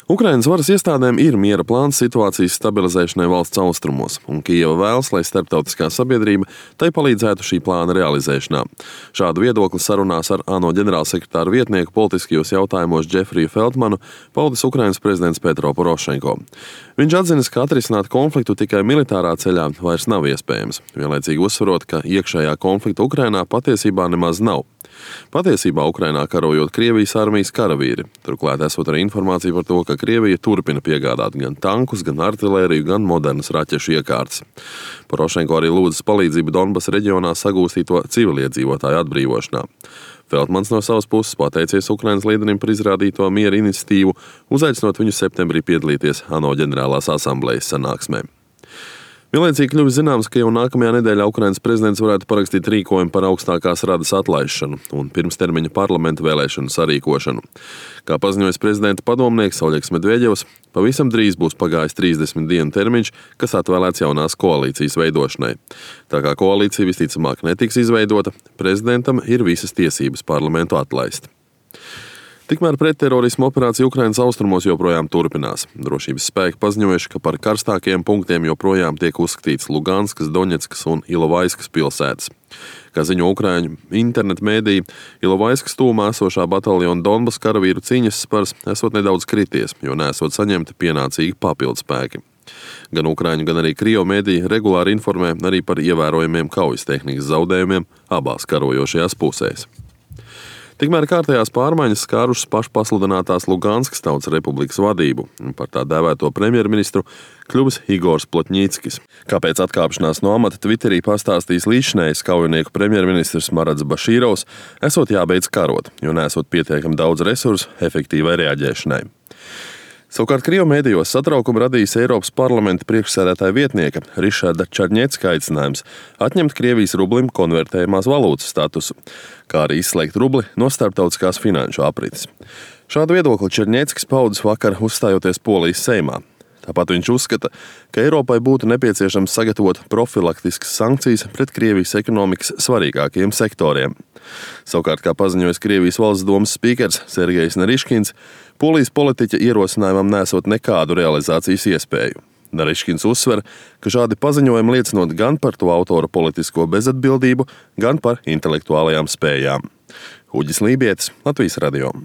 Ukrainas varas iestādēm ir miera plāns situācijas stabilizēšanai valsts austrumos, un Kijeva vēlas, lai starptautiskā sabiedrība tai palīdzētu šī plāna realizēšanā. Šādu viedokli sarunās ar ANO ģenerālsekretāra vietnieku politiskajos jautājumos Džefriju Feldmanu paudis Ukrainas prezidents Petro Porošenko. Viņš atzinis, ka atrisināt konfliktu tikai militārā ceļā vairs nav iespējams, vienlaicīgi uzsverot, ka iekšējā konflikta Ukrainā patiesībā nemaz nav. Patiesībā Ukrainā karojot Krievijas armijas karavīri. Turklāt esot arī informācija par to, ka Krievija turpina piegādāt gan tankus, gan artilēriju, gan modernas raķešu iekārtas. Porošenko arī lūdzas palīdzību Donbasa reģionā sagūstīto civiliedzīvotāju atbrīvošanā. Feldmans no savas puses pateicies Ukrainas līderim par izrādīto miera iniciatīvu, uzaicinot viņu septembrī piedalīties ANO ģenerālās asamblejas sanāksmē. Vienlaicīgi kļuvis zināms, ka jau nākamajā nedēļā Ukrainas prezidents varētu parakstīt rīkojumu par augstākās radas atlaišanu un pirmstermiņa parlamenta vēlēšanu sarīkošanu. Kā paziņojis prezidenta padomnieks Oļegs Medveģevs, pavisam drīz būs pagājis 30 dienu termiņš, kas atvēlēts jaunās koalīcijas veidošanai. Tā kā koalīcija visticamāk netiks izveidota, prezidentam ir visas tiesības parlamentu atlaist. Tikmēr pretterorisma operācija Ukrainas austrumos joprojām turpinās. Drošības spēki paziņojuši, ka par karstākajiem punktiem joprojām tiek uzskatīts Luganskas, Doņetskas un Ilovaiskas pilsētas. Kā ziņo ukraiņu internetu mēdīji, Ilovaiskas tūmā esošā bataljona Donbasa karavīru cīņas spars esot nedaudz krities, jo nesot saņemti pienācīgi papildspēki. Gan ukraiņu, gan arī krievu mēdīji regulāri informē arī par ievērojamiem kaujas tehnikas zaudējumiem abās karojošajās pusēs. Tikmēr kārtējās pārmaiņas skārušas pašpasludinātās Luganskas Tautas Republikas vadību, un par tā dēvēto premjerministru kļuvis Igors Plotņīckis. Kāpēc atkāpšanās no amata Twitterī pastāstījis līdzinējais kaujinieku premjerministrs Marats Bašīrovs, esot jābeidz karot, jo nesot pietiekami daudz resursu efektīvai reaģēšanai. Savukārt Krievu mēdījos satraukumu radījis Eiropas parlamenta priekšsēdētāja vietnieka Rišarda Čarņecka aicinājums atņemt Krievijas rublim konvertējumās valūtas statusu, kā arī izslēgt rubli no starptautiskās finanšu aprites. Šādu viedokli Čarņeckis paudis vakar uzstājoties Polijas Seimā. Tāpat viņš uzskata, ka Eiropai būtu nepieciešams sagatavot profilaktiskas sankcijas pret Krievijas ekonomikas svarīgākajiem sektoriem. Savukārt, kā paziņojis Krievijas valsts domas spīkers Sergejs Nariškins, Polijas politiķa ierosinājumam nesot nekādu realizācijas iespēju. Nariškins uzsver, ka šādi paziņojumi liecinot gan par to autora politisko bezatbildību, gan par intelektuālajām spējām. Uģis Lībietis, Latvijas radio.